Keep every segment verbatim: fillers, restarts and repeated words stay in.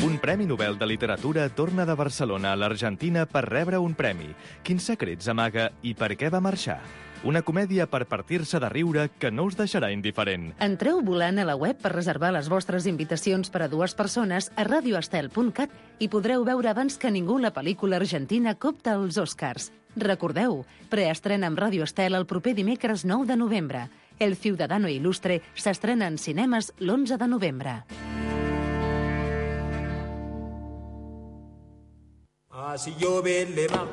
Un Premi Nobel de Literatura torna de Barcelona a l'Argentina per rebre un premi. Quins secrets amaga i per què va marxar? Una comèdia per partir-se de riure que no us deixarà indiferent. Entreu volant a la web per reservar les vostres invitacions per a dues persones a radio estel punt cat i podreu veure abans que ningú la pel·lícula argentina Copta als Oscars. Recordeu, preestrena amb Ràdio Estel el proper dimecres nou de novembre. El Ciudadano Ilustre s'estrena en cinemes l'onze de novembre. Ah, si llove le va...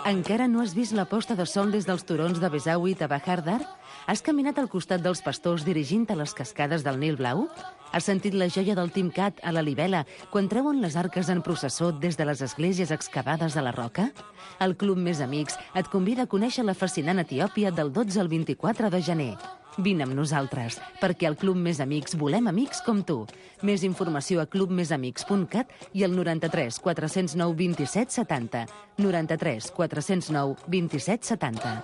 Encara no has vist la posta de sol des dels turons de Besaüit a Bahar Dar? Has caminat al costat dels pastors dirigint a les cascades del Nil Blau? Has sentit la joia del Timcat a la Libela quan treuen les arques en processó des de les esglésies excavades a la roca? El Club Més Amics et convida a conèixer la fascinant Etiòpia del dotze al vint-i-quatre de gener. Vine amb nosaltres, perquè al Club Més Amics volem amics com tu. Més informació a club més amics punt cat i al noranta-tres quatre zero nou vint-i-set setanta. noranta-tres quatre zero nou vint-i-set setanta.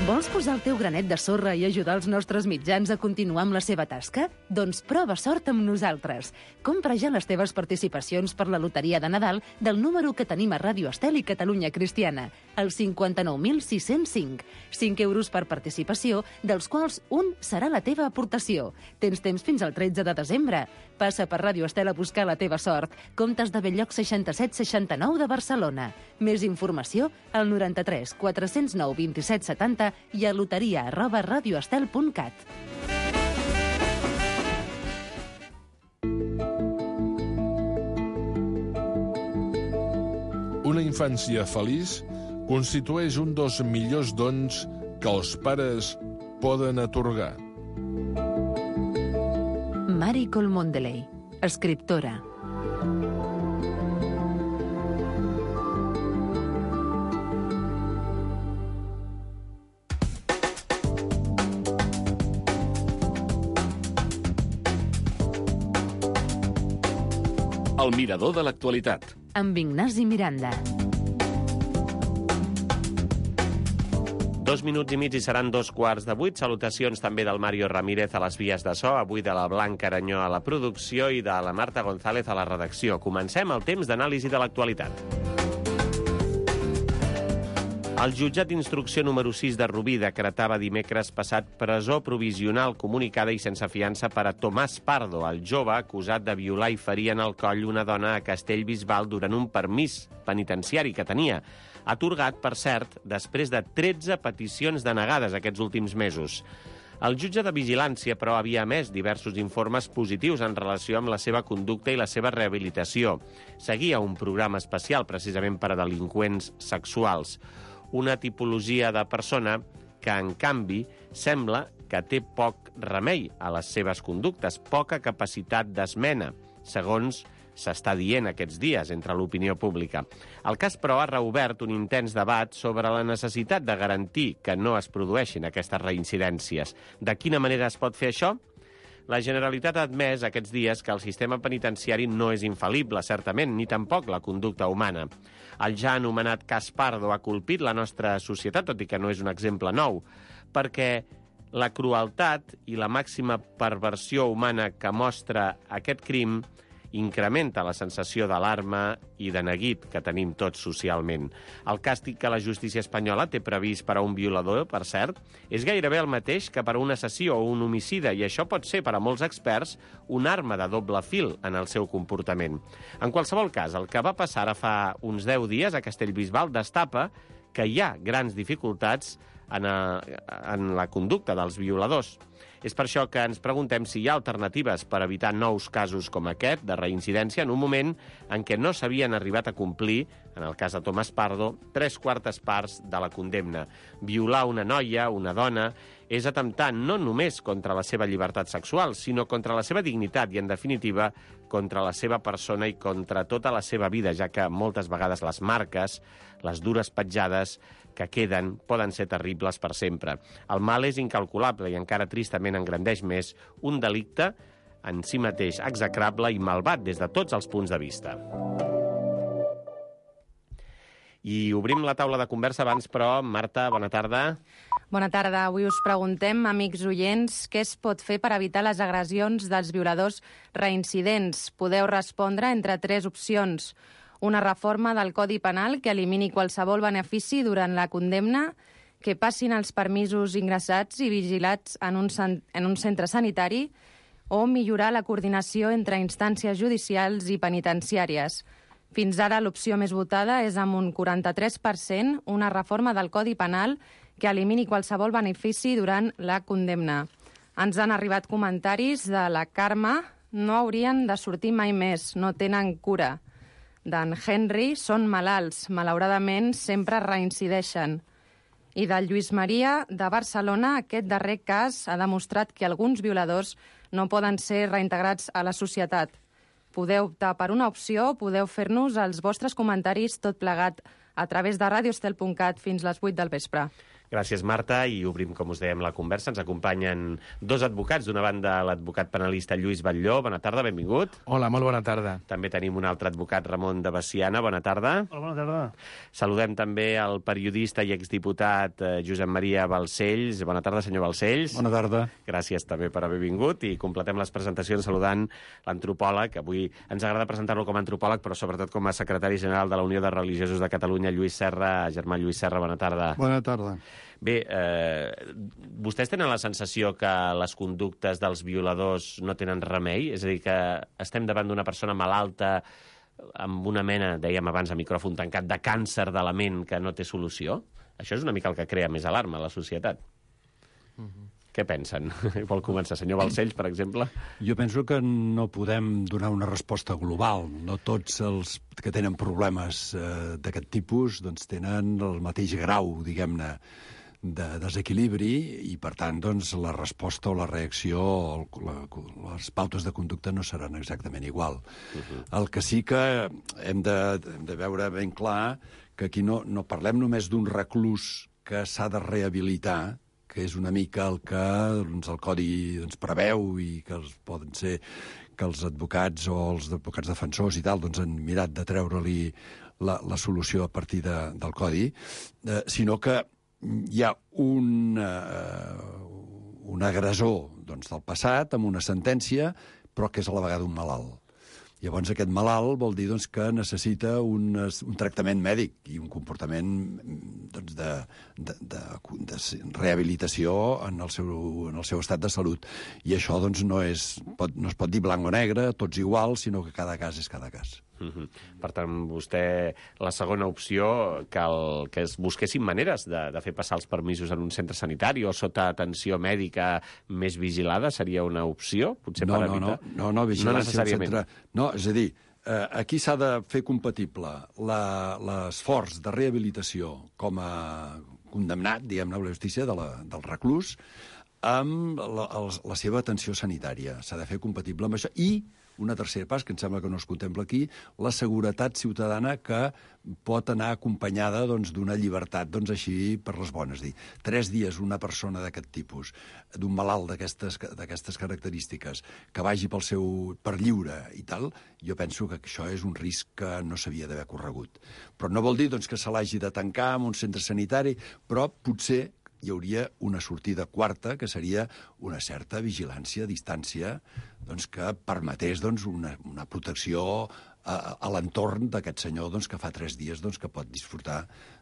Vols posar el teu granet de sorra i ajudar els nostres mitjans a continuar amb la seva tasca? Doncs prova sort amb nosaltres. Compra ja les teves participacions per la loteria de Nadal del número que tenim a Ràdio Estel i Catalunya Cristiana, el cinquanta-nou mil sis-cents cinc. cinc euros per participació, dels quals un serà la teva aportació. Tens temps fins al tretze de desembre. Passa per Ràdio Estel a buscar la teva sort. Comptes de Belllloc seixanta-set seixanta-nou de Barcelona. Més informació al noranta-tres quatre zero nou vint-i-set setanta i a loteria arroba radioestel punt cat. Una infància feliç constitueix un dels millors dons que els pares poden atorgar. Mari Colmondeley, escriptora. El mirador de l'actualitat. Amb Ignasi Miranda. Dos minuts i mig i seran dos quarts de vuit. Salutacions també del Mario Ramírez a les vies de so, avui de la Blanca Aranyó a la producció i de la Marta González a la redacció. Comencem el temps d'anàlisi de l'actualitat. El jutjat d'instrucció número sis de Rubí decretava dimecres passat presó provisional comunicada i sense fiança per a Tomàs Pardo, el jove acusat de violar i ferir en el coll una dona a Castellbisbal durant un permís penitenciari que tenia, atorgat, per cert, després de tretze peticions denegades aquests últims mesos. El jutge de vigilància, però, havia emès diversos informes positius en relació amb la seva conducta i la seva rehabilitació. Seguia un programa especial precisament per a delinqüents sexuals. Una tipologia de persona que, en canvi, sembla que té poc remei a les seves conductes, poca capacitat d'esmena, segons s'està dient aquests dies entre l'opinió pública. El cas, però, ha reobert un intens debat sobre la necessitat de garantir que no es produeixin aquestes reincidències. De quina manera es pot fer això? La Generalitat ha admès aquests dies que el sistema penitenciari no és infal·lible, certament, ni tampoc la conducta humana. El ja anomenat cas Pardo ha colpit la nostra societat, tot i que no és un exemple nou, perquè la crueltat i la màxima perversió humana que mostra aquest crim incrementa la sensació d'alarma i de neguit que tenim tots socialment. El càstig que la justícia espanyola té previst per a un violador, per cert, és gairebé el mateix que per a un assassí o un homicida, i això pot ser, per a molts experts, una arma de doble fil en el seu comportament. En qualsevol cas, el que va passar ara fa uns deu dies a Castellbisbal destapa que hi ha grans dificultats en, a, en la conducta dels violadors. És per això que ens preguntem si hi ha alternatives per evitar nous casos com aquest de reincidència en un moment en què no s'havien arribat a complir, en el cas de Tomàs Pardo, tres quartes parts de la condemna. Violar una noia, una dona, és atemptar no només contra la seva llibertat sexual, sinó contra la seva dignitat i, en definitiva, contra la seva persona i contra tota la seva vida, ja que moltes vegades les marques, les dures petjades que queden poden ser terribles per sempre. El mal és incalculable i encara tristament engrandeix més un delicte en si mateix execrable i malvat des de tots els punts de vista. I obrim la taula de conversa abans, però, Marta, bona tarda. Bona tarda. Avui us preguntem, amics oients, què es pot fer per evitar les agressions dels violadors reincidents. Podeu respondre entre tres opcions. Una reforma del Codi Penal que elimini qualsevol benefici durant la condemna, que passin els permisos ingressats i vigilats en un, en un centre sanitari, o millorar la coordinació entre instàncies judicials i penitenciàries. Fins ara l'opció més votada és amb un quaranta-tres per cent una reforma del Codi Penal que elimini qualsevol benefici durant la condemna. Ens han arribat comentaris de la Carme: no haurien de sortir mai més, no tenen cura. D'en Henry: són malalts, malauradament sempre reincideixen. I del Lluís Maria, de Barcelona: aquest darrer cas ha demostrat que alguns violadors no poden ser reintegrats a la societat. Podeu optar per una opció, podeu fer-nos els vostres comentaris tot plegat a través de radiostel punt cat fins les vuit del vespre. Gràcies, Marta, i obrim, com us dèiem, la conversa. Ens acompanyen dos advocats. D'una banda, l'advocat penalista Lluís Batlló. Bona tarda, benvingut. Hola, molt bona tarda. També tenim un altre advocat, Ramon de Veciana. Bona tarda. Hola, bona tarda. Saludem també el periodista i exdiputat eh, Josep Maria Balcells. Bona tarda, senyor Balcells. Bona tarda. Gràcies també per haver vingut, i completem les presentacions saludant l'antropòleg. Avui ens agrada presentar-lo com a antropòleg, però sobretot com a secretari general de la Unió de Religiosos de Catalunya, Lluís Serra. Germà Lluís Serra, bona tarda. Bona tarda. Bé, eh, vostès tenen la sensació que les conductes dels violadors no tenen remei? És a dir, que estem davant d'una persona malalta amb una mena, dèiem abans a micròfon tancat, de càncer de la ment que no té solució? Això és una mica el que crea més alarma a la societat. Mm-hmm. Què pensen? Vol començar, senyor Balcells, per exemple? Jo penso que no podem donar una resposta global. No tots els que tenen problemes eh, d'aquest tipus doncs, tenen el mateix grau, diguem-ne, de desequilibri, i per tant doncs, la resposta o la reacció o la, les pautes de conducta no seran exactament igual. Uh-huh. El que sí que hem de, hem de veure ben clar que aquí no, no parlem només d'un reclús que s'ha de rehabilitar, que és una mica el que doncs, el Codi doncs, preveu, i que els poden ser que els advocats o els advocats defensors i tal doncs, han mirat de treure-li la, la solució a partir de, del Codi, eh, sinó que hi ha un, uh, un agressor doncs, del passat amb una sentència, però que és a la vegada un malalt. Llavors aquest malalt vol dir doncs, que necessita un, un tractament mèdic i un comportament doncs, de, de, de, de rehabilitació en el, seu, en el seu estat de salut. I això doncs, no, és, pot, no es pot dir blanc o negre, tots iguals, sinó que cada cas és cada cas. Mm-hmm. Per tant, vostè, la segona opció, que, el, que es busquessin maneres de, de fer passar els permisos en un centre sanitari o sota atenció mèdica més vigilada, seria una opció? Potser no, per no, evitar... no, no, no, vigilància no necessàriament. Centre... No, és a dir, eh, aquí s'ha de fer compatible l'esforç de rehabilitació com a condemnat, diguem-ne, a la justícia de la, del reclús, amb la, la seva atenció sanitària. S'ha de fer compatible amb això. I una tercera pas, que em sembla que no es contempla aquí, la seguretat ciutadana que pot anar acompanyada doncs, d'una llibertat doncs, així per les bones. Dir, tres dies una persona d'aquest tipus, d'un malalt d'aquestes característiques, que vagi pel seu per lliure i tal, jo penso que això és un risc que no s'havia d'haver corregut. Però no vol dir doncs, que se l'hagi de tancar en un centre sanitari, però potser hi hauria una sortida quarta, que seria una certa vigilància a distància doncs, que permetés doncs, una, una protecció a, a l'entorn d'aquest senyor doncs, que fa tres dies doncs, que pot disfrutar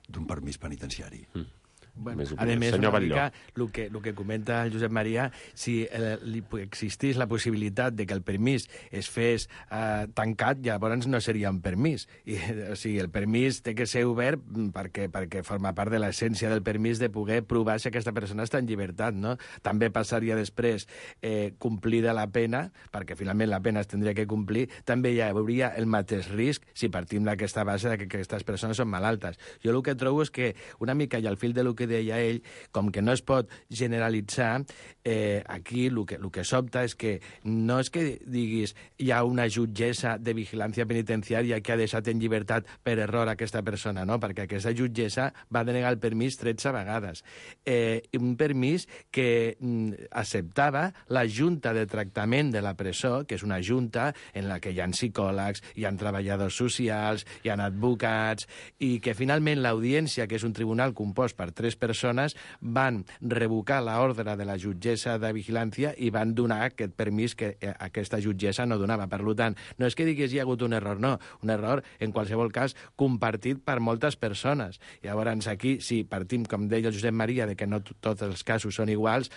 d'un permís penitenciari. Mm. Bueno, més a més, senyor una Batlló. mica el que, el que comenta el Josep Maria, si eh, li existís la possibilitat de que el permís es fes eh, tancat, llavors no seria un permís. I, o sigui, el permís té que ser obert perquè, perquè forma part de l'essència del permís de poder provar si aquesta persona està en llibertat, no? També passaria després eh, complida la pena, perquè finalment la pena es tindria que complir, també hi hauria el mateix risc si partim d'aquesta base de que aquestes persones són malaltes. Jo el que trobo és que una mica, i al fil de lo que deia ell, com que no es pot generalitzar, Eh, aquí el que, el que sobta és que no és que diguis hi ha una jutgessa de vigilància penitenciària que ha deixat en llibertat per error aquesta persona, no? Perquè aquesta jutgessa va denegar el permís tretze vegades. Eh, un permís que mm, acceptava la junta de tractament de la presó, que és una junta en la que hi ha psicòlegs, hi ha treballadors socials, hi ha advocats, i que finalment l'audiència, que és un tribunal compost per tres persones, van revocar l'ordre de la jutgessa de vigilància i van donar aquest permís que aquesta jutgessa no donava. Per tant, no és que digués hi ha hagut un error, no. Un error, en qualsevol cas, compartit per moltes persones. Llavors, aquí, si partim, com deia el Josep Maria, de que no tots els casos són iguals,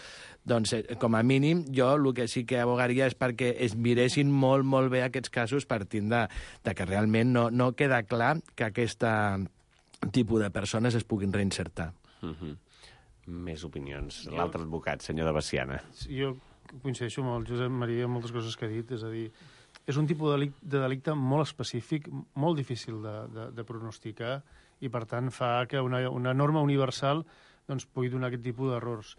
doncs, com a mínim, jo el que sí que abogaria és perquè es miressin molt, molt bé aquests casos partint de, de que realment no, no queda clar que aquest tipus de persones es puguin reinsertar. Mm-hmm. Més opinions. L'altre advocat, senyor de Veciana. Jo coincideixo amb el Josep Maria en moltes coses que ha dit, és a dir, és un tipus de delicte, de delicte molt específic, molt difícil de, de, de pronosticar, i per tant fa que una, una norma universal doncs, pugui donar aquest tipus d'errors.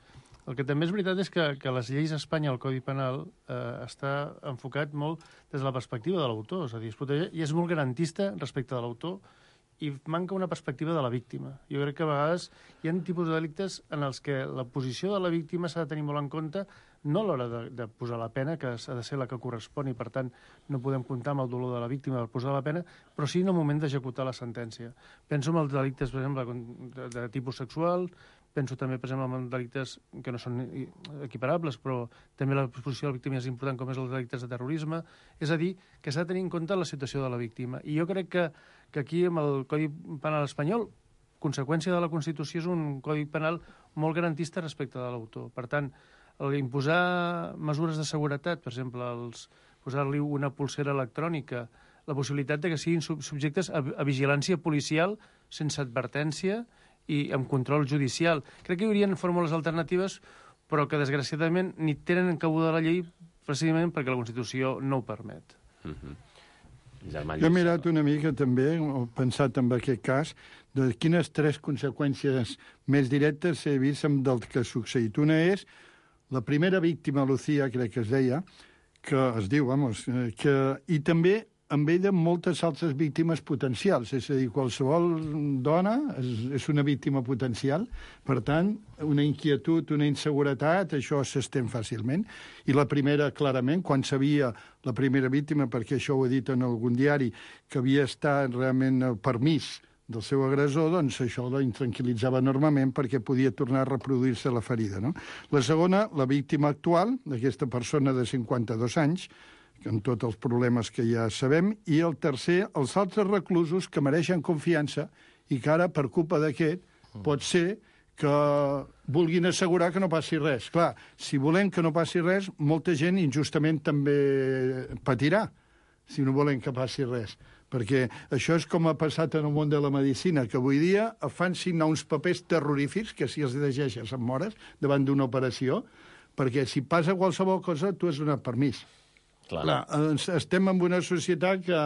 El que també és veritat és que, que les lleis a Espanya, el Codi Penal, eh, està enfocat molt des de la perspectiva de l'autor, és a dir, es protegeix, i és molt garantista respecte de l'autor, i manca una perspectiva de la víctima. Jo crec que a vegades hi ha tipus de delictes en els que la posició de la víctima s'ha de tenir molt en compte, no a l'hora de, de posar la pena, que ha de ser la que correspon, i per tant no podem comptar amb el dolor de la víctima per posar la pena, però sí en el moment d'executar la sentència. Penso en els delictes, per exemple, de, de tipus sexual, penso també, per exemple, en delictes que no són equiparables, però també la posició de la víctima és important, com és els delictes de terrorisme. És a dir, que s'ha de tenir en compte la situació de la víctima. I jo crec que, que aquí, amb el Codi Penal espanyol, conseqüència de la Constitució, és un Codi Penal molt garantista respecte de l'autor. Per tant, el imposar mesures de seguretat, per exemple, els posar-li una pulsera electrònica, la possibilitat de que siguin subjectes a, a vigilància policial sense advertència i amb control judicial. Crec que hi haurien fórmules alternatives, però que, desgraciadament, ni tenen cabuda a la llei precisament perquè la Constitució no ho permet. Mm-hmm. Jo he mirat una mica també, he pensat en aquest cas, de quines tres conseqüències més directes he vist del que ha succeït. Una és la primera víctima, Lucía, crec que es deia, que es diu, vamos, que, i també amb ella moltes altres víctimes potencials, és a dir, qualsevol dona és, és una víctima potencial, per tant, una inquietud, una inseguretat, això s'estén fàcilment. I la primera, clarament, quan sabia la primera víctima, perquè això ho he dit en algun diari, que havia estat realment el permís del seu agressor, doncs això la intranquil·litzava enormement perquè podia tornar a reproduir-se la ferida, no? La segona, la víctima actual, d'aquesta persona de cinquanta-dos anys, amb tots els problemes que ja sabem, i el tercer, els altres reclusos que mereixen confiança i que ara, per culpa d'aquest, pot ser que vulguin assegurar que no passi res. Clar, si volem que no passi res, molta gent injustament també patirà, si no volem que passi res. Perquè això és com ha passat en el món de la medicina, que avui dia fan signar uns papers terrorífics, que si els llegeixes et mores davant d'una operació, perquè si passa qualsevol cosa, tu has donat permís. Clar. Clar, estem en una societat que,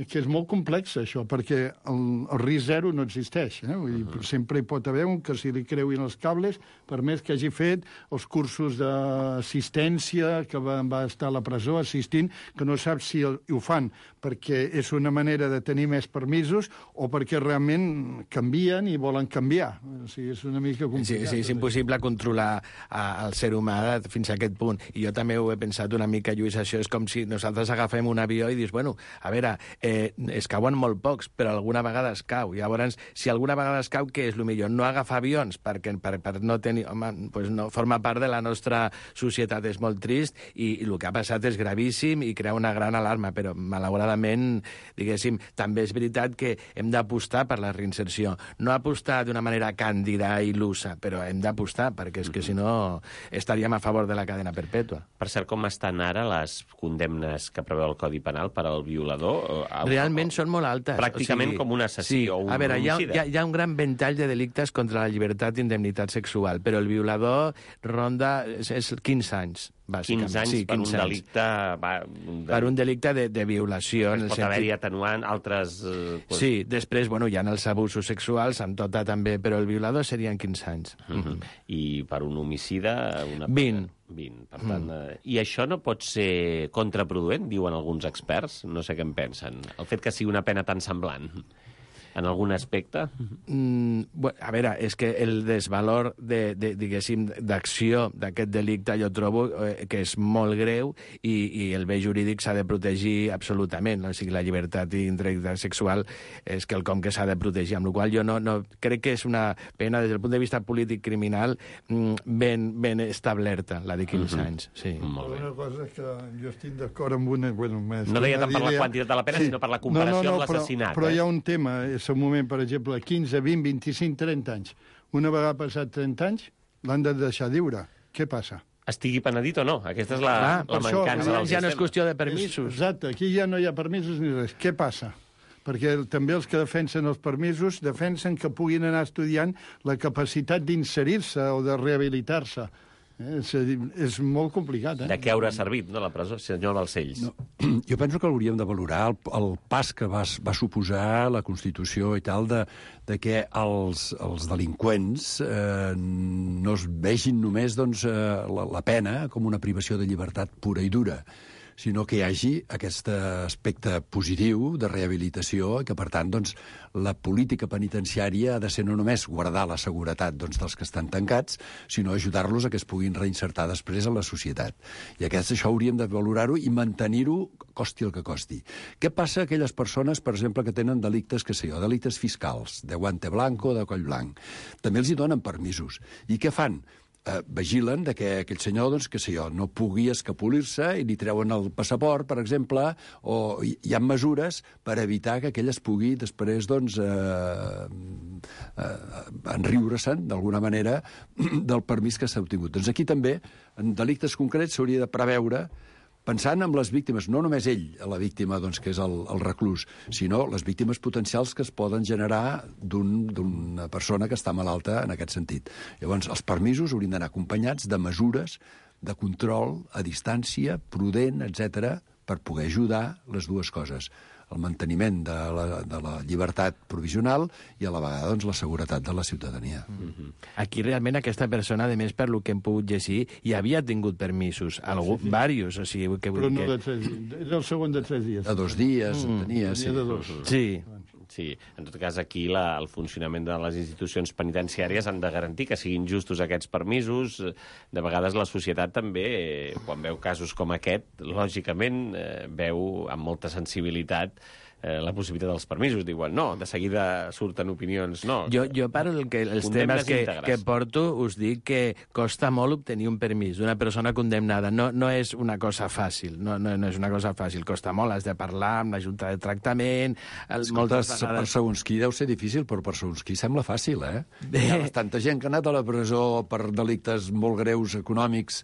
que és molt complexa, això, perquè el, el risc zero no existeix. Eh? Vull dir, uh-huh. Sempre hi pot haver un que si li creuin els cables, per més que hagi fet els cursos d'assistència, que va, va estar a la presó assistint, que no sap si el, ho fan perquè és una manera de tenir més permisos o perquè realment canvien i volen canviar. O sigui, és una mica complicat. Sí, sí, és impossible controlar a, el ser humà fins a aquest punt. I jo també ho he pensat una mica, Lluís, això és com si nosaltres agafem un avió i dius, bueno, a veure, eh, es cauen molt pocs, però alguna vegada es cau. Llavors, si alguna vegada es cau, què és el millor? No agafar avions, perquè per, per no tenir... Home, pues no, forma part de la nostra societat, és molt trist, i, i el que ha passat és gravíssim i crea una gran alarma, però malauradament, diguéssim, també és veritat que hem d'apostar per la reinserció. No apostar d'una manera càndida i il·lusa, però hem d'apostar, perquè és que si no estaríem a favor de la cadena perpètua. Per cert, com estan ara les condemnes que preveu el Codi Penal per al violador? Realment són molt altes. Pràcticament o sigui, com un assassí sí, o un homicida. A veure, hi ha, hi, ha, hi ha un gran ventall de delictes contra la llibertat i indemnitat sexual, però el violador ronda és, és quinze anys. bàsicament. quinze anys sí, per un quinze anys. delicte... Va, un Per un delicte de, de violació. Es pot sentit... haver-hi atenuant altres... Eh, pues... Sí, després, bueno, hi ha els abusos sexuals, amb tota també, però el violador serien quinze anys. Uh -huh. I per un homicida... Una... vint. vint. Per tant, mm. eh, I això no pot ser contraproduent, diuen alguns experts? No sé què en pensen. El fet que sigui una pena tan semblant en algun aspecte? Mm, bueno, a veure, és que el desvalor de, de, diguéssim, d'acció d'aquest delicte jo trobo eh, que és molt greu i, i el bé jurídic s'ha de protegir absolutament. O sigui, la llibertat i integritat sexual és quelcom que s'ha de protegir, amb la qual jo no, no crec que és una pena des del punt de vista polític criminal mm, ben, ben establerta, la de quinze uh-huh. anys. Sí. Molt bé. Una cosa que jo estic d'acord amb una... Bueno, no deia tant per la quantitat de la pena, sí. sinó per la comparació no, no, no, amb l'assassinat. Però, però eh? hi ha un tema, és un moment, per exemple, quinze, vint, vint-i-cinc, trenta anys. Una vegada passat trenta anys, l'han de deixar lliure. Què passa? Estigui penedit o no? Aquesta és la, ah, la mancança això, del ja no és qüestió de permisos. És, exacte, aquí ja no hi ha permisos ni res. Què passa? Perquè també els que defensen els permisos defensen que puguin anar estudiant la capacitat d'inserir-se o de rehabilitar-se. Eh? És, és molt complicat, eh? De què haurà servit, no, la presó, senyor Balcells? No, jo penso que hauríem de valorar el, el pas que va, va suposar la Constitució i tal de, de que els, els delinqüents eh, no es vegin només doncs, eh, la, la pena com una privació de llibertat pura i dura, sinó que hi hagi aquest aspecte positiu de rehabilitació i que, per tant, doncs, la política penitenciària ha de ser no només guardar la seguretat doncs, dels que estan tancats, sinó ajudar-los a que es puguin reinsertar després a la societat. I aquest, això hauríem de valorar-ho i mantenir-ho costi el que costi. Què passa a aquelles persones, per exemple, que tenen delictes, que sé jo, delictes fiscals, de guante blanco, de coll blanc? També els hi donen permisos. I què fan? Eh, vigilen de que aquell senyor, doncs, que sé jo, no pugui escapolir-se i li treuen el passaport, per exemple, o hi, hi ha mesures per evitar que aquell es pugui després, doncs, eh, eh, enriure-se'n, d'alguna manera, del permís que s'ha obtingut. Doncs aquí també, en delictes concrets, s'hauria de preveure pensant en les víctimes, no només ell, la víctima, doncs, que és el, el reclús, sinó les víctimes potencials que es poden generar d'una un, persona que està malalta en aquest sentit. Llavors, els permisos haurien d'anar acompanyats de mesures de control a distància, prudent, etcètera, per poder ajudar les dues coses. El manteniment de la, de la llibertat provisional i a la vegada doncs, la seguretat de la ciutadania. Mm-hmm. Aquí realment aquesta persona, a més, per lo que hem pogut llegir, ja havia tingut permisos, algú, sí, sí. Varios, o sigui... Que, Però no que... de tres dies, és el segon de tres dies. De dos dies, mm. tenia, sí. De dos. Sí. Sí, en tot cas aquí la, el funcionament de les institucions penitenciàries han de garantir que siguin justos aquests permisos. De vegades la societat també, eh, quan veu casos com aquest, lògicament eh, veu amb molta sensibilitat eh, la possibilitat dels permisos. Diuen, no, de seguida surten opinions, no. Jo, jo per el que, els temes que, que porto us dic que costa molt obtenir un permís d'una persona condemnada. No, no és una cosa fàcil, no, no, no és una cosa fàcil. Costa molt, has de parlar amb la Junta de Tractament... El, moltes vegades... Per segons qui deu ser difícil, però per segons qui sembla fàcil, eh? Hi ha bastanta gent que ha anat a la presó per delictes molt greus econòmics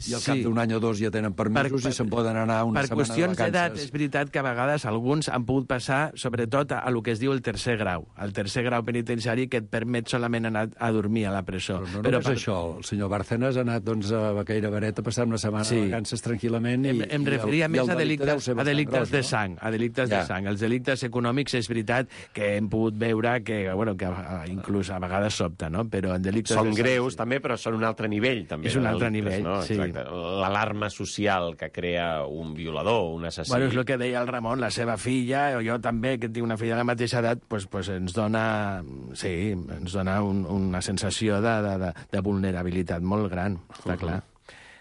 i al sí. cap d'un any o dos ja tenen permisos per, i se'n poden anar una per setmana de vacances. Per qüestions d'edat, és veritat que a vegades alguns han pogut passar, sobretot, a, a lo que es diu el tercer grau, el tercer grau penitenciari que et permet solament anar a dormir a la presó. Però no però només per... això, el senyor Bárcenas ha anat doncs, a Baqueira Beret a passar una setmana sí. de vacances tranquil·lament i, em, em referia i el, més i a delictes, a delictes gros, de sang, a delictes ja. de sang. Els delictes econòmics és veritat que hem pogut veure que, bueno, que inclús a vegades sobta, no? Però en delictes són de sang, greus, sí. també, però són un altre nivell, també. És un altre nivell, no? sí. L'alarma social que crea un violador, un assassí... Bueno, és el que deia el Ramon, la seva filla, o jo també, que tinc una filla de la mateixa edat, pues, pues ens dona, sí, ens dona un, una sensació de, de, de, de vulnerabilitat molt gran, està uh-huh. clar.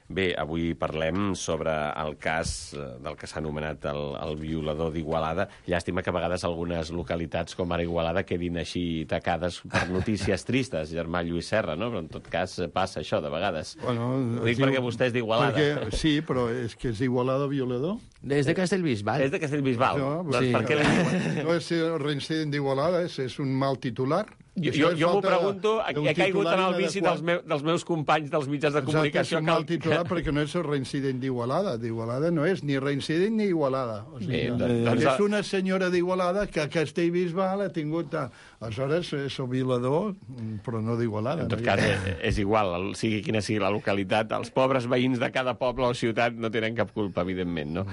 Bé, avui parlem sobre el cas del que s'ha anomenat el, el violador d'Igualada. Llàstima que a vegades algunes localitats, com ara Igualada, quedin així tacades per notícies tristes, germà Lluís Serra, no? Però en tot cas passa això, de vegades. Bueno, ho dic sí, perquè vostè és d'Igualada. Perquè, sí, però és que és d'Igualada violador. És de Castellbisbal. És de Castellbisbal. No, doncs sí. Per què li... no és reincident d'Igualada, és, és un mal titular. Jo, jo, jo m'ho pregunto, he caigut en el vici dels, meu, dels meus companys dels mitjans de comunicació. Exacte, és un mal titular perquè no és el reincident d'Igualada. D'Igualada no és ni reincident ni Igualada. O sigui, Bé, doncs, és una senyora d'Igualada que a Castellbisbal ha tingut a, Aleshores, és el violador, però no d'Igualada. En tot cas, és igual, sigui quina sigui la localitat, els pobres veïns de cada poble o ciutat no tenen cap culpa, evidentment, no?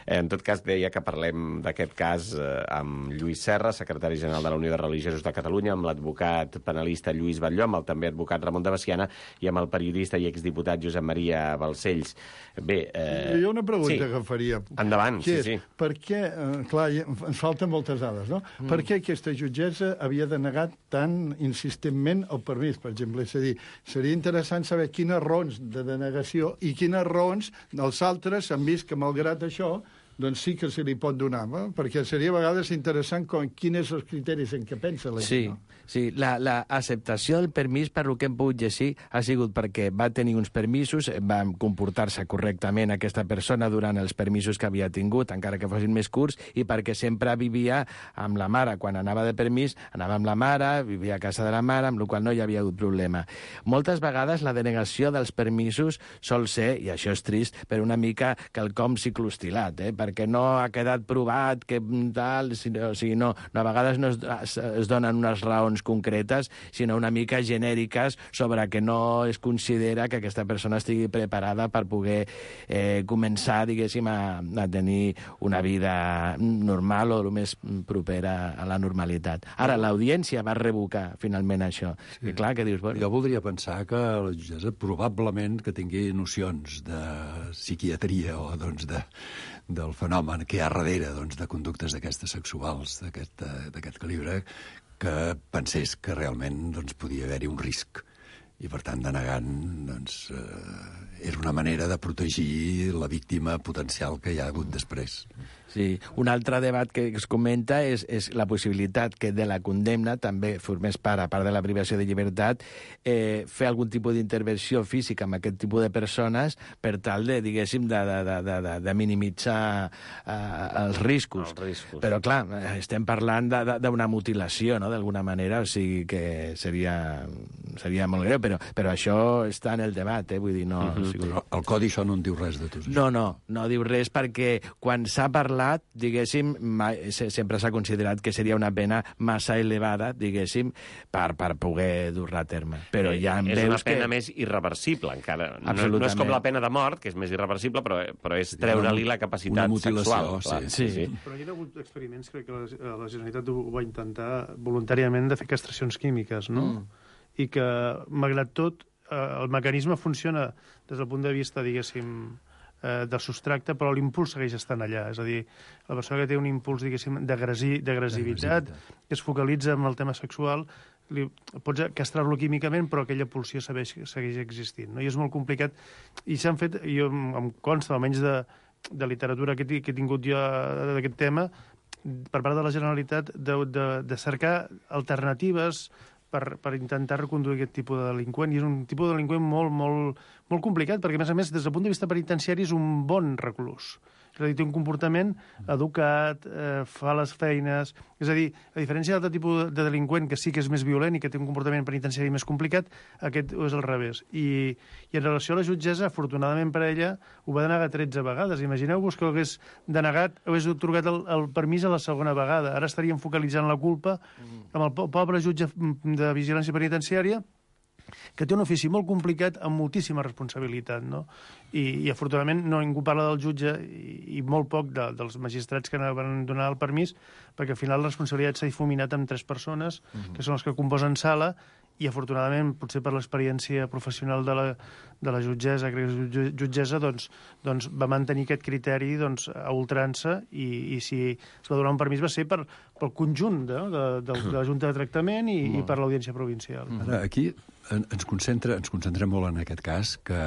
En tot cas, deia que parlem d'aquest cas amb Lluís Serra, secretari general de la Unió de Religiosos de Catalunya, amb l'advocat penalista Lluís Batlló, amb el també advocat Ramon de Veciana i amb el periodista i exdiputat Josep Maria Balcells. Bé... Eh... Hi ha una pregunta sí. que faria. Endavant, sí, és, sí. Per què, eh, clar, ens falten moltes dades, no? Mm. Per què aquesta jutgessa havia denegat tan insistentment el permís, per exemple? És a dir, seria interessant saber quines raons de denegació i quines raons dels altres han vist que, malgrat això, doncs sí que se li pot donar, no? Perquè seria a vegades interessant com, quins són els criteris en què pensa la gent. Sí, no? sí. La, la acceptació del permís, per lo que hem pogut llegir, ha sigut perquè va tenir uns permisos, va comportar-se correctament aquesta persona durant els permisos que havia tingut, encara que fossin més curts, i perquè sempre vivia amb la mare. Quan anava de permís, anava amb la mare, vivia a casa de la mare, amb la qual no hi havia hagut problema. Moltes vegades la denegació dels permisos sol ser, i això és trist, per una mica quelcom ciclostilat, eh? perquè no ha quedat provat que tal, o sigui, no, no, a vegades no es, es donen unes raons concretes, sinó una mica genèriques sobre que no es considera que aquesta persona estigui preparada per poder eh, començar, diguéssim, a, a tenir una vida normal o el més propera a la normalitat. Ara, l'audiència va revocar finalment això. Sí. I clar, què dius? Bueno, jo voldria pensar que la jutgessa probablement que tingui nocions de psiquiatria o doncs de del fenomen que hi ha darrere doncs, de conductes d'aquestes sexuals, d'aquest calibre, que pensés que realment doncs, podia haver-hi un risc. I, per tant, denegant, doncs, eh, és una manera de protegir la víctima potencial que hi ha hagut després. Sí. Un altre debat que es comenta és, és la possibilitat que de la condemna també formés part, a part de la privació de llibertat, eh, fer algun tipus d'intervenció física amb aquest tipus de persones per tal de, diguéssim, de, de, de, de, de minimitzar eh, els riscos. Els riscos. Però, clar, estem parlant d'una mutilació, no?, d'alguna manera, o sigui que seria, seria molt greu, però, però això està en el debat, eh? Vull dir, no... Uh-huh. O sigui, el codi això no en diu res de tot això. No, no, no diu res perquè quan s'ha parlat, diguéssim, mai, sempre s'ha considerat que seria una pena massa elevada, diguéssim, per, per poder dur-la a terme. Però ja és una pena que... més irreversible, encara. No, no és com la pena de mort, que és més irreversible, però, però és treure-li la capacitat sexual. Sí. Sí, sí. Però hi ha hagut experiments, crec que la, la Generalitat ho va intentar voluntàriament de fer castracions químiques, no? Mm. I que, malgrat tot, el mecanisme funciona des del punt de vista, diguéssim, del substracte, però l'impuls segueix estant allà. És a dir, la persona que té un impuls, diguéssim, d'agressivitat, que es focalitza en el tema sexual, li, pots castrar-lo químicament, però aquella pulsió segueix, segueix existint. No? I és molt complicat. I s'han fet, jo em consta, almenys de, de literatura que, que he tingut jo d'aquest tema, per part de la Generalitat, de, de, de cercar alternatives per, per intentar reconduir aquest tipus de delinqüent. I és un tipus de delinqüent molt, molt, molt complicat, perquè, a més a més, des del punt de vista penitenciari és un bon reclús. És a dir, té un comportament educat, eh, fa les feines... És a dir, a diferència d'altre tipus de delinqüent que sí que és més violent i que té un comportament penitenciari més complicat, aquest és al revés. I, i en relació a la jutgessa, afortunadament per a ella, ho va denegar tretze vegades. Imagineu-vos que hagués denegat, hagués atorgat el, el permís a la segona vegada. Ara estaríem focalitzant la culpa amb el pobre jutge de vigilància penitenciària, que té un ofici molt complicat amb moltíssima responsabilitat, no? I, i afortunadament no ningú parla del jutge i, i molt poc de, dels magistrats que van donar el permís, perquè al final la responsabilitat s'ha difuminat amb tres persones, uh-huh. que són les que composen sala, i afortunadament, potser per l'experiència professional de la, de la jutgessa, crec que és jutgessa, doncs, doncs va mantenir aquest criteri doncs, a ultrança, i, i si es va donar un permís va ser per, pel conjunt de, de, de, de la Junta de Tractament i, i per l'Audiència Provincial. Ara, aquí ens concentra, ens concentra molt en aquest cas que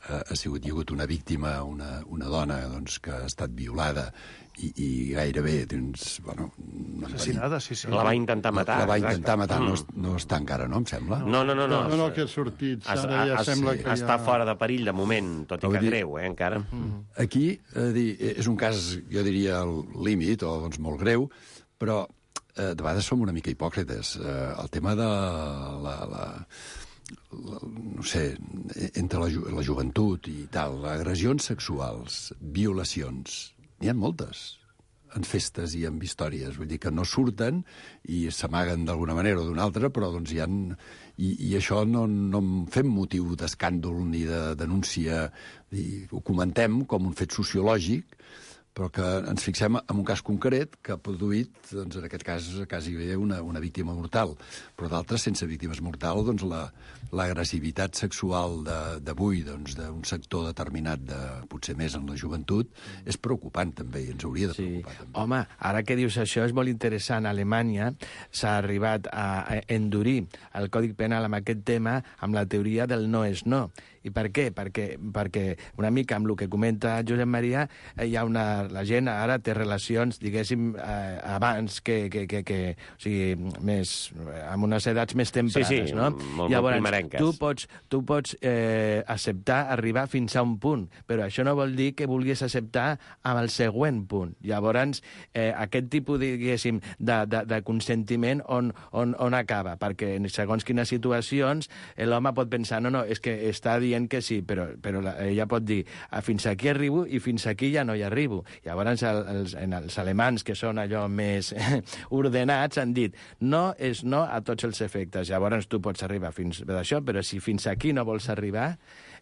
ha sigut, hi ha hagut una víctima, una, una dona doncs, que ha estat violada i, i gairebé doncs, bueno, assassinada, sí, sí. La va intentar matar. La va intentar matar, no, no està encara, no, em sembla? No, no, no. No, no, no que ha sortit. Ara ja es, sembla sí. que Està ja... fora de perill de moment, tot i que greu, eh, encara. Aquí, eh, dir, és un cas, jo diria, al límit, o doncs molt greu, però eh, de vegades som una mica hipòcrites. Eh, el tema de la... la, la La, no sé, entre la, la joventut i tal, agressions sexuals, violacions, n'hi ha moltes. en festes i en històries. Vull dir que no surten i s'amaguen d'alguna manera o d'una altra, però doncs hi ha... I, i això no, no en fem motiu d'escàndol ni de denúncia, i ho comentem com un fet sociològic, però que ens fixem en un cas concret que ha produït, doncs, en aquest cas, quasi bé una, una víctima mortal. Però d'altres, sense víctimes mortals, doncs, la, l'agressivitat sexual d'avui, doncs, d'un sector determinat, de, potser més en la joventut, és preocupant, també, i ens hauria de preocupar. Sí. També. Home, ara que dius això, és molt interessant. A Alemanya s'ha arribat a endurir el Codi Penal amb aquest tema amb la teoria del no és no. I per què? Perquè, perquè una mica amb el que comenta Josep Maria, hi ha una... La gent ara té relacions, diguéssim, eh, abans que, que, que, que... O sigui, més... amb unes edats més tempranes, sí, sí, no? Molt, Llavors, molt primerenques. Tu pots, tu pots eh, acceptar arribar fins a un punt, però això no vol dir que vulguis acceptar amb el següent punt. Llavors, eh, aquest tipus, diguéssim, de, de, de consentiment on, on, on acaba? Perquè en segons quines situacions l'home pot pensar, no, no, és que està dient que sí, però, però ella pot dir fins aquí arribo i fins aquí ja no hi arribo. Llavors, el, els, en els alemans, que són allò més ordenats, han dit no és no a tots els efectes. Llavors, tu pots arribar fins a això, però si fins aquí no vols arribar,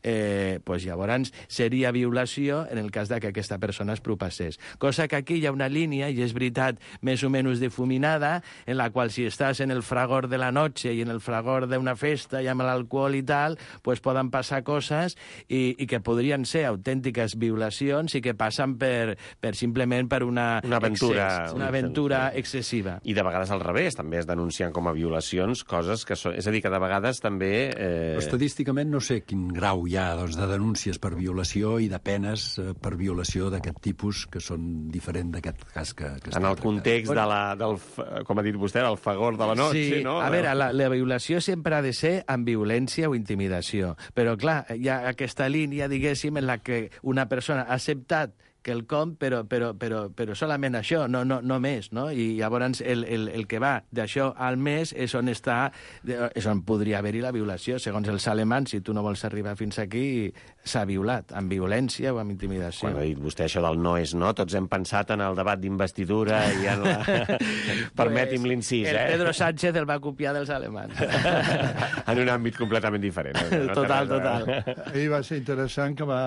eh, pues llavors seria violació en el cas de que aquesta persona es propassés. Cosa que aquí hi ha una línia, i és veritat, més o menys difuminada, en la qual si estàs en el fragor de la noche i en el fragor d'una festa i amb l'alcohol i tal, pues poden passar coses i, i que podrien ser autèntiques violacions i que passen per, per simplement per una, una aventura, excés, una aventura excessiva. I de vegades al revés, també es denuncien com a violacions coses que són... És a dir, que de vegades també... Eh... Estadísticament no sé quin grau hi ha doncs, de denúncies per violació i de penes eh, per violació d'aquest tipus que són diferents d'aquest cas que, que en el context de la, del, com ha dit vostè, del fagor de la noche, sí, no? A veure, la, la violació sempre ha de ser amb violència o intimidació, però clar, hi ha aquesta línia, diguéssim, en la que una persona ha acceptat quelcom, però, però, però, però solament això, no, no, no més, no? I llavors el, el, el que va d'això al més és on està, és on podria haver-hi la violació. Segons els alemans, si tu no vols arribar fins aquí, s'ha violat, amb violència o amb intimidació. Quan ha dit vostè això del no és no, tots hem pensat en el debat d'investidura i en la... Permeti'm l'incís, el eh? El Pedro Sánchez el va copiar dels alemans. En un àmbit completament diferent. No total, total. Ahir va ser interessant que va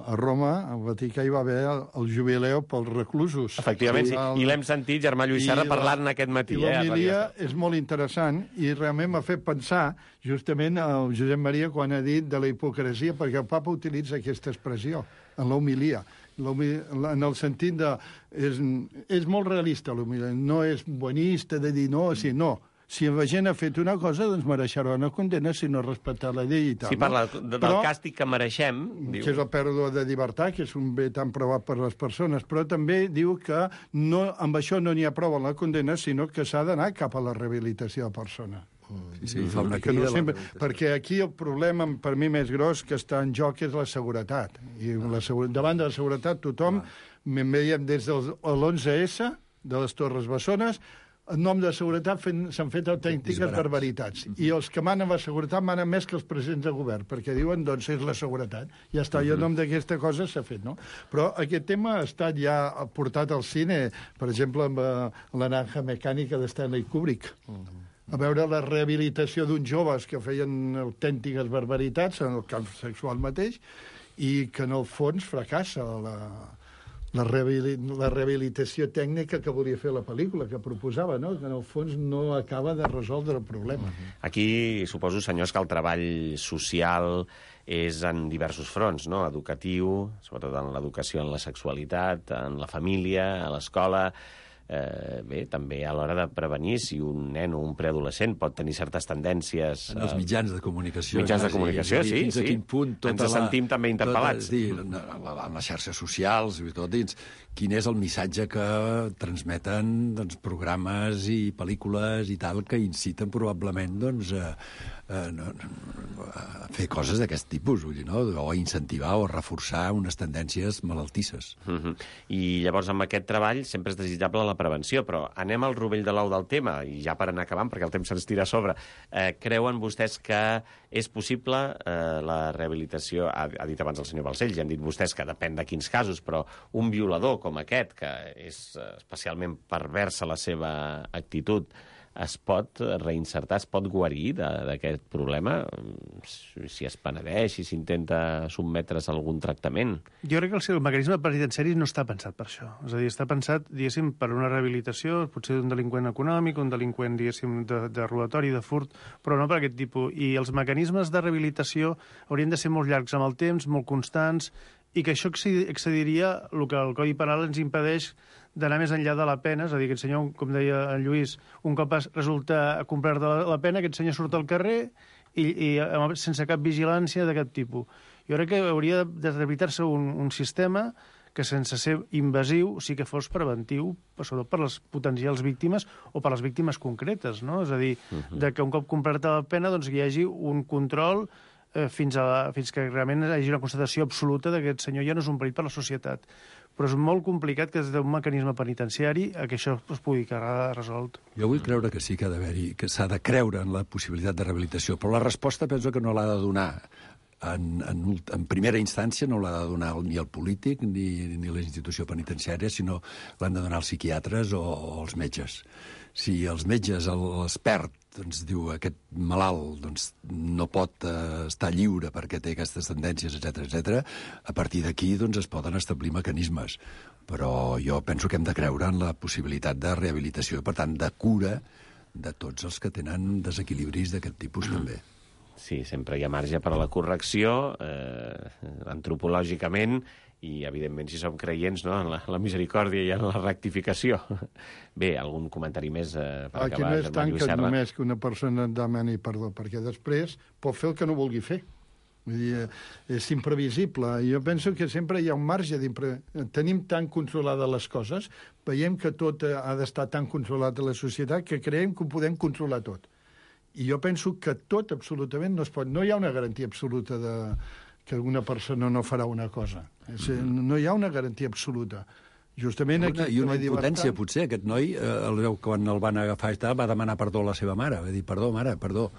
a Roma, al Vaticà, hi va haver el, el jubileu pels reclusos. Efectivament, sí. I l'hem sentit, Germà Lluís Serra, parlant aquest matí. I l'homilia eh, és molt interessant i realment m'ha fet pensar justament el Josep Maria quan ha dit de la hipocresia, perquè el papa utilitza aquesta expressió en l'homilia, en el sentit de... És, és molt realista l'homilia, no és buenista de dir no, si no. Si la gent ha fet una cosa, doncs mereixerà una condemna si no ha respectat la llei i tal. Si parla de, del però, càstig que mereixem... Diu... Que és la pèrdua de llibertat, que és un bé tan provat per les persones, però també diu que no, amb això no n'hi ha prou en la condemna, sinó que s'ha d'anar cap a la rehabilitació de la persona. Sí, sí, fa una crida no sempre, perquè aquí el problema, per mi, més gros que està en joc és la seguretat. I la segura, davant de la seguretat tothom, me'n veiem des de l'onze essa, de les Torres Bessones, en nom de seguretat s'han fet autèntiques barbaritats. I els que manen la seguretat manen més que els presidents de govern, perquè diuen, doncs, és la seguretat. Ja està, i en nom d'aquesta cosa s'ha fet, no? Però aquest tema ha estat ja portat al cine, per exemple, amb la Naranja Mecànica de Stanley Kubrick. A veure la rehabilitació d'uns joves que feien autèntiques barbaritats en el camp sexual mateix i que, en el fons, fracassa la... La, la rehabilitació tècnica que volia fer la pel·lícula, que proposava, no? Que en el fons no acaba de resoldre el problema. Aquí suposo, senyors, que el treball social és en diversos fronts, no? Educatiu, sobretot en l'educació en la sexualitat, en la família, a l'escola... Eh, bé, també a l'hora de prevenir si un nen o un preadolescent pot tenir certes tendències... En els mitjans de comunicació. Mitjans de comunicació, sí, fins sí. A quin punt tota ens la, sentim també interpel·lats. Tota, sí, en les xarxes socials, i tot dins, quin és el missatge que transmeten doncs, programes i pel·lícules i tal que inciten probablement doncs, a, a, a fer coses d'aquest tipus, vull dir, no? O a incentivar o a reforçar unes tendències malaltisses. Uh-huh. I llavors amb aquest treball sempre és desitjable la prevenció. Però anem al rovell de l'ou del tema, i ja per anar acabant, perquè el temps se'ns tira a sobre. Eh, creuen vostès que és possible eh, la rehabilitació? Ha, ha dit abans el senyor Balcells, ja han dit vostès que depèn de quins casos, però un violador com aquest, que és especialment perversa la seva actitud, es pot reinsertar, es pot guarir d'aquest problema si es penedeix, si s'intenta sotmetre's a algun tractament? Jo crec que el, el mecanisme penitenciari no està pensat per això. És a dir, està pensat, diguéssim, per una rehabilitació, potser d'un delinqüent econòmic, un delinqüent, diguéssim, de, de robatori, de furt, però no per aquest tipus. I els mecanismes de rehabilitació haurien de ser molt llargs amb el temps, molt constants, i que això excediria el que el Codi Penal ens impedeix d'anar més enllà de la pena. És a dir, aquest senyor, com deia en Lluís, un cop resulta complir de la pena, aquest senyor surt al carrer i, i sense cap vigilància d'aquest tipus. Jo crec que hauria de rehabilitar-se un, un sistema que, sense ser invasiu, sí que fos preventiu, sobretot per les potencials víctimes o per les víctimes concretes, no? És a dir, uh-huh. de que un cop complerta la pena doncs, hi hagi un control eh, fins, a, fins que realment hi hagi una constatació absoluta que aquest senyor ja no és un perill per a la societat. Però és molt complicat que des d'un mecanisme penitenciari que això es pugui quedar resolt. Jo vull creure que sí que ha d'haver-hi, que s'ha de creure en la possibilitat de rehabilitació, però la resposta penso que no l'ha de donar en, en, en primera instància, no l'ha de donar ni el polític ni, ni la institució penitenciària, sinó l'han de donar els psiquiatres o, o els metges. Si els metges, l'expert, doncs, diu aquest malalt doncs, no pot eh, estar lliure perquè té aquestes tendències, etcètera, etcètera, a partir d'aquí doncs, es poden establir mecanismes. Però jo penso que hem de creure en la possibilitat de rehabilitació i, per tant, de cura de tots els que tenen desequilibris d'aquest tipus, mm. també. Sí, sempre hi ha marge per a la correcció, eh, antropològicament, i, evidentment, si som creients, no?, en la, la misericòrdia i en la rectificació. Bé, algun comentari més eh, per Aquí acabar? Aquí no és tant que només que una persona demani perdó, perquè després pot fer el que no vulgui fer. Vull dir, és imprevisible. Jo penso que sempre hi ha un marge d'impre... Tenim tan controlades les coses, veiem que tot ha d'estar tan controlat a la societat que creiem que ho podem controlar tot. I jo penso que tot, absolutament, no es pot... No hi ha una garantia absoluta de que alguna persona no farà una cosa. És, no hi ha una garantia absoluta. Justament aquí... I una impotència, potser. Aquest noi, eh, quan el van agafar, va demanar perdó a la seva mare. Va dir, perdó, mare, perdó.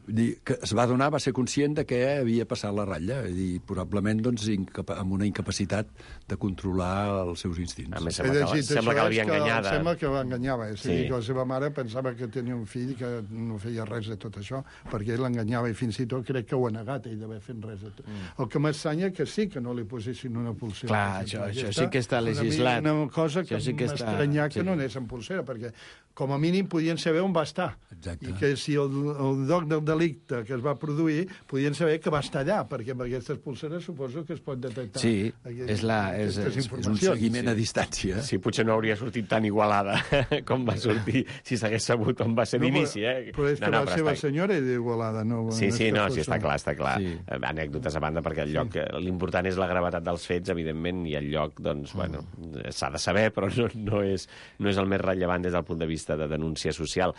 Vull dir, que es va donar, va ser conscient de que havia passat la ratlla. Vull dir, probablement, doncs, amb una incapacitat de controlar els seus instints. A més, sembla que, sembla que l'havia enganyada. Sembla que l'enganyava. És a dir, que la seva mare pensava que tenia un fill que no feia res de tot això, perquè ell l'enganyava i fins i tot crec que ho ha negat, ell d'haver fet res de tot. Mm. El que m'estranya que sí que no li posessin una pulsera. Clar, això, això sí que està legislat. Una cosa que sí m'estranyar que, sí. que no anés en pulsera, perquè com a mínim podien saber on va estar. Exacte. I que si el, el lloc del delicte que es va produir, podien saber que va estar allà, perquè amb aquestes pulseres suposo que es pot detectar. Sí, aquest, és, la, és, és, és un seguiment sí. a distància. Sí, potser no hauria sortit tan igualada com va sortir si s'hagués sabut on va ser no, d'inici. Eh? Però és que no, no, la seva està... senyora és d'Igualada. No, sí, no sí, no, sí, està clar, està clar. Sí. Anècdotes a banda, perquè el lloc, sí. l'important és la gravetat dels fets, evidentment, i el lloc, doncs, mm. bueno, s'ha de saber, però no, no, és, no és el més rellevant des del punt de vista de denúncia social.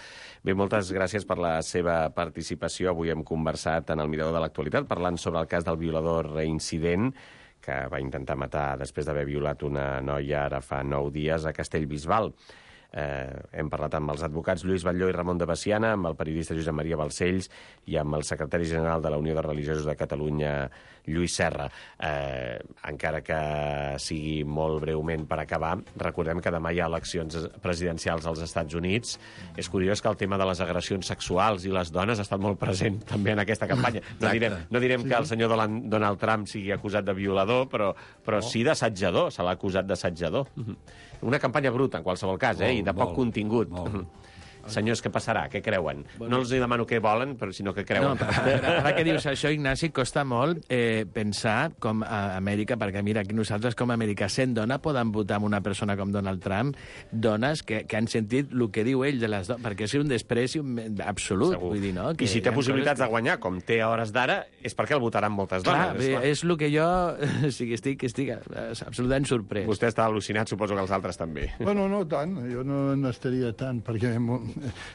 Bé, moltes gràcies per la seva participació. Avui hem conversat en el Mirador de l'Actualitat parlant sobre el cas del violador reincident que va intentar matar després d'haver violat una noia ara fa nou dies a Castellbisbal. Eh, hem parlat amb els advocats Lluís Batlló i Ramon de Veciana, amb el periodista Josep Maria Balcells i amb el secretari general de la Unió de Religiosos de Catalunya, Lluís Serra. Eh, encara que sigui molt breument per acabar, recordem que demà hi ha eleccions presidencials als Estats Units. És curiós que el tema de les agressions sexuals i les dones ha estat molt present també en aquesta campanya. No direm, no direm sí. que el senyor Donald Trump sigui acusat de violador, però, però oh. sí d'assetjador, se l'ha acusat d'assetjador. Una campanya bruta, en qualsevol cas, eh? I de poc molt, contingut. Molt. Senyors, què passarà? Què creuen? Bueno, no els demano què volen, però sinó què creuen. No, ara, ara que dius això, Ignasi, costa molt eh, pensar com a Amèrica, perquè mira, aquí nosaltres com a Amèrica, sent dona, poden votar amb una persona com Donald Trump, dones que, que han sentit el que diu ell de les dones, perquè és un despreci absolut. Segur. Vull dir, no? Que I si té possibilitats coses... de guanyar, com té a hores d'ara, és perquè el votaran moltes dones. Clar, és, clar. és el que jo sí, estic, estic absolutament sorprès. Vostè està al·lucinat, suposo que els altres també. Bueno, no tant, jo no n'estaria tant, perquè...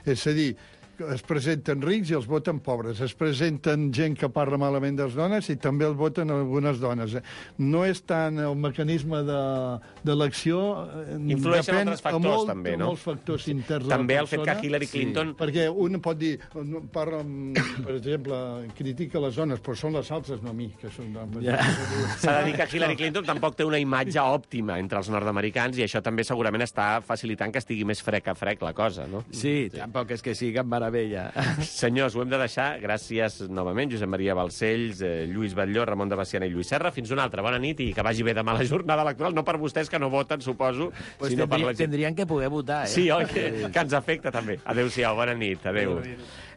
És a dir, es presenten rics i els voten pobres. Es presenten gent que parla malament de les dones i també els voten algunes dones. No és tant el mecanisme d'elecció... Influeixen altres factors, molt, també, no? Molts factors interns de també la el fet persona. que Hillary Clinton... Sí, perquè un pot dir, parla, per exemple, critica les dones, però són les altres, no a mi, que són... Ja. S'ha de dir que Hillary Clinton tampoc té una imatge òptima entre els nord-americans i això també segurament està facilitant que estigui més frec a frec la cosa, no? Sí, tampoc és que sigui cap meravella. Senyors, ho hem de deixar. Gràcies novament, Josep Maria Balcells, eh, Lluís Batlló, Ramon de Baciana i Lluís Serra. Fins una altra. Bona nit i que vagi bé demà la jornada electoral. No per vostès, que no voten, suposo, pues sinó tendri, per la gent. Tendrien que poder votar, eh? Sí, oi? Que, que ens afecta, també. Adéu-siau, bona nit. Adéu.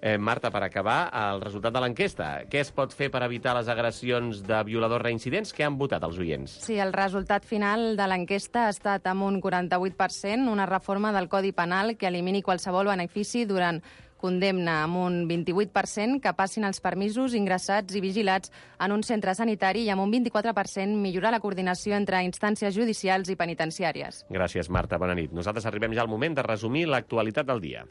Eh, Marta, per acabar, el resultat de l'enquesta. Què es pot fer per evitar les agressions de violadors reincidents? Què han votat els oients? Sí, el resultat final de l'enquesta ha estat amb un quaranta-vuit per cent, una reforma del Codi Penal que elimini qualsevol benefici durant condemna, amb un vint-i-vuit per cent que passin els permisos ingressats i vigilats en un centre sanitari i amb un vint-i-quatre per cent millorar la coordinació entre instàncies judicials i penitenciàries. Gràcies, Marta. Bona nit. Nosaltres arribem ja al moment de resumir l'actualitat del dia.